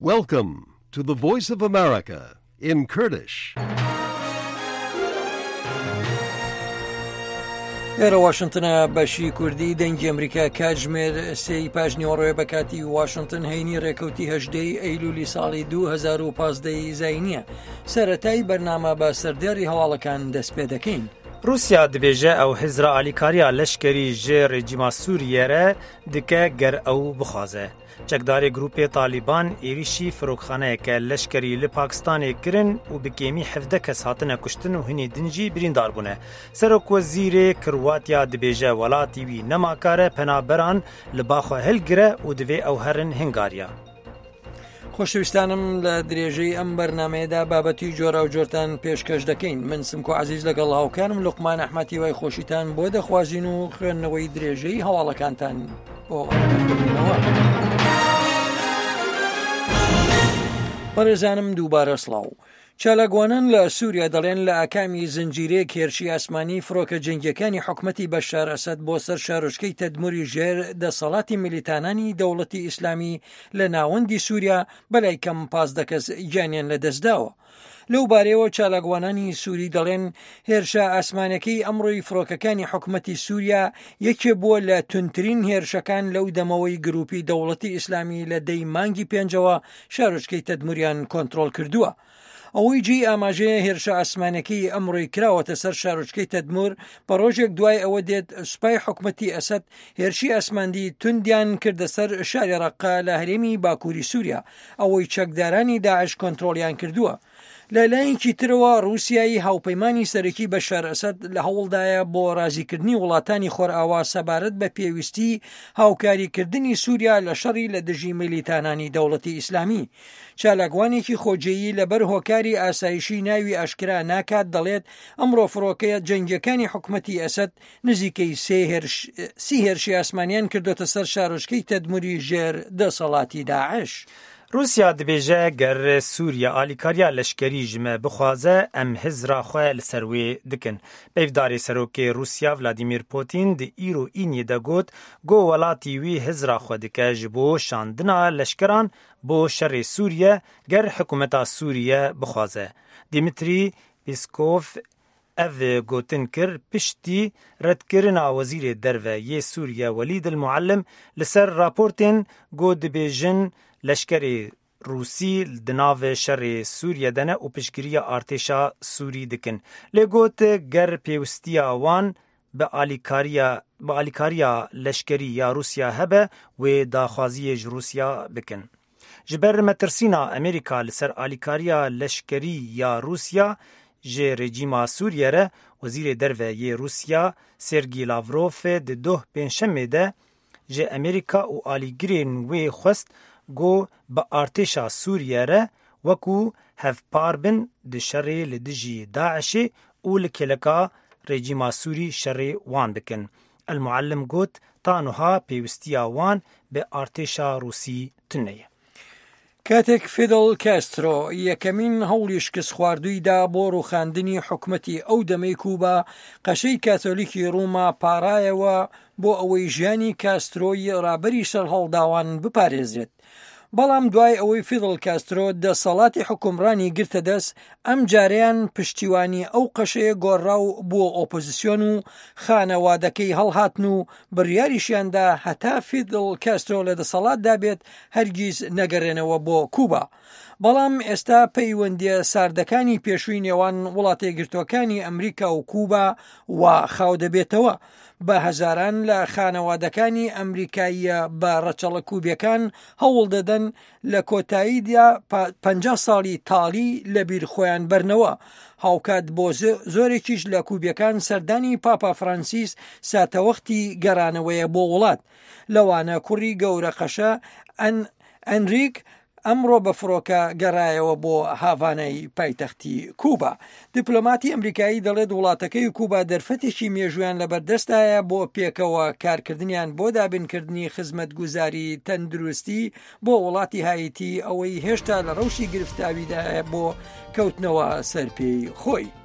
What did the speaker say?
Welcome to the Voice of America in Kurdish. لێرە واشنتنە بەشی کوردی دەنگی ئەمریکا کاتژمێر سێی پاش نیوەڕۆێ بە کاتی واشنتن هەینی ڕێکەوتی هەژدەی ئەیلولی ساڵی 2015 زینیە سەتای بەرنامە بە سەردێڕی هەواڵەکان دەست پێ دەکەین. رووسیا دبێژە ئەو هزرا ئالیکارییا لەشکەری ژ رێجیما سووریە رە دکە گەر ئەو بخوازە. چەکدارê grûpê Talîban êrîşî firokxaneyeke leşkerî li Pakistanê kirin û bi kêmî 17 kes hatine kuştin û hinê din jî birîndar bûne. Serokwezîrê Kirwatya dibêje welatî wî nemakare penaberan li ba xwe hilgire û divê ew herin Hingarya. خۆشەویستانم لە درێژەی ئەم بەرنمەیەدا بابەتی جۆرا و جۆرتان پێشکەش دەکەین من سمکۆ عزیز لەگەڵ هاوکارم لوقمان ئەحمەتی وای خۆشیتان بۆ دەخوازین و خوێندنەوەی درێژەی هەواڵەکانتان بۆ بەڕێزانم دووبارە سڵاو. چالاکوانان لە سووریا دەڵێن لە ئاکامی زنجیرەیەک هێرشی ئاسمانی فڕۆکە جەنگیەکانی حکومەتی بەشار ئەسەد بۆ سەر شارۆچکەی تەدموری ژێر دەسەڵاتی میلیتانانی دەوڵەتی ئیسلامی لە ناوەندی سووریا بەلای کەم 15 کەس گیانیان لەدەستداوە. لەو بارەیەوە چالاکوانانی سووری دەڵێن هێرشە ئاسمانەکەی ئەمڕۆی فڕۆکەکانی حکومەتی سووریا یەکێ بووە لە تونترین هێرشەکان لەو دەمەوەی گروپی دەوڵەتی ئیسلامی لە دەی مانگی پێنجەوە شارۆچکەی تەدموریان کۆنترۆڵ کردووە. ئەوەی جێی ئاماژەیە هێرشە ئاسمانەکەی ئەمڕۆی کراوەتە سەر شارۆچکەی تەدمور بە ڕۆژێک دوای ئەوە دێت سوپای حکومەتی ئەسەد هێرشی ئاسماندی توندیان کردە سەر شاری ڕەققە لە هەرێمی باکووری سووریا ئەوەی چەکدارانی داعش کۆنترۆڵیان کردووە. لە لایەکی ترەوە ڕووسیای هاوپەیمانی سەرەکی بەشار ئەسەد لە هەوڵدایە بۆ ڕازیکردنی وڵاتانی خۆرئاوا سەبارەت بە پێویستی هاوکاریکردنی سووریا لە شەڕی لە دژی میلیتانانی دەوڵەتی ئیسلامی. چالاکوانێکی خۆجێیی لەبەر هۆکاری ئاسایشی ناوی ئاشکرا ناکات دەڵێت ئەمڕۆ فڕۆکەیە جەنگیەکانی حکومەتی ئەسەد نزیکەی سێ هێرش سی هێرشی ئاسمانیان کردۆتە سەر شارۆچکەی تەدموری ژێر دەسەڵاتی داعش. رووسیا دبێژە گەر سووریە ئالیکارییا لەشکەری ژ me bixwaze em hizra xwe li ser wê dikin. Peyvdarê Serokê Rûsya Vladimir Putin di îro îniyê de got ku welatî wî hizra xwe dike ji bo şandina leşkeran bo şerê Sûriye ger hikûmeta Sûriye bixwaze. Dmitriy Peskov ev gotin kir piştî redkirina Wezîrê Derve yê Sûriye Welîd El Muallim li ser raportên ku dibêjin leşkerê Rûsî di nav şerê Sûriye de ne û piştgiriya artêşa Sûrî dikin. Lê got ger pêwistiya wan bi alîkariya bi alîkariya leşkerî ya Rûsya hebe wê daxwaziyê ji Rûsya bikin. Ji ber metirsîna Amerîka li ser alîkariya leşkerî ya Rûsya ji rejîma Sûriye re, Wezîrê Derve yê Rûsya Sergî Lavrov di doh Pêncşemê de ji Amerîka û alîgirên wê xwest ku bi artêşa Sûriye re wekû hevpar bin di şerê li dijî DAIŞ'ê û li kêleka rejîma Sûrî şerê wan bikin. El Muallim got, Ta nuha pêwistiya wan bi artêşa Rûsî tune ye. کاتێک فیدڵ کاسترۆ یەکەمین هەوڵی شکستخواردووی دا بۆ ڕووخاندنی حکومەتی ئەو دەمەی کوبا، قەشەی کاتۆلیکی ڕوما پاڕایەوە بۆ ئەوەی ژیانی کاسترۆی ڕابەری سەرهەڵداوان بپارێزرێت. بەڵام دوای ئەوەی فیدڵ کاسترۆ دەسەڵاتی حوکمڕانی گرتە دەست، ئەمجارەیان پشتیوانی ئەو قەشەیە گۆڕا و بووە ئۆپۆزسیۆن و خانەوادەکەی هەڵهاتن و بڕیاریشیاندا هەتا فیدڵ کاسترۆ لە دەسەڵاتدا بێت هەرگیز نەگەرێنەوە بۆ کوبا. بەڵام ئێستا پەیوەندیە ساردەکانی پێشووی نێوان وڵاتەیەکگرتووەکانی ئەمریکا و کوبا وا خاو دەبێتەوە. بە هەزاران لە خانەوادەکانی ئەمریکاییە بە ڕەچەڵە کوبیەکان هەوڵ دەدەن لە کۆتاییدا 50 ساڵی تاڵی لە بیر خۆیان بەرنەوە. هاوکات بۆ زۆرێکیش لە کوبیەکان سەردانی پاپا فرانسیس ساتەوەختی گەڕانەوەیە بۆ وڵات. لەوانە کوڕی گەورە قەشە ئەنریک ئەمڕۆ بە فڕۆکە گەڕایەوە بۆ هاڤانای پایتەختی کوبا. دیپلۆماتی ئەمریکایی دەڵێت وڵاتەکەی و کوبا دەرفەتێکی مێژوویان لەبەردەستایە بۆ پێکەوە کارکردنیان بۆ دابینکردنی خزمەتگوزاری تەندروستی بۆ وڵاتی هایتی ئەوەی هێشتا لە ڕەوشی گرفتاویدایە بۆ کەوتنەوە سەر پێی خۆی.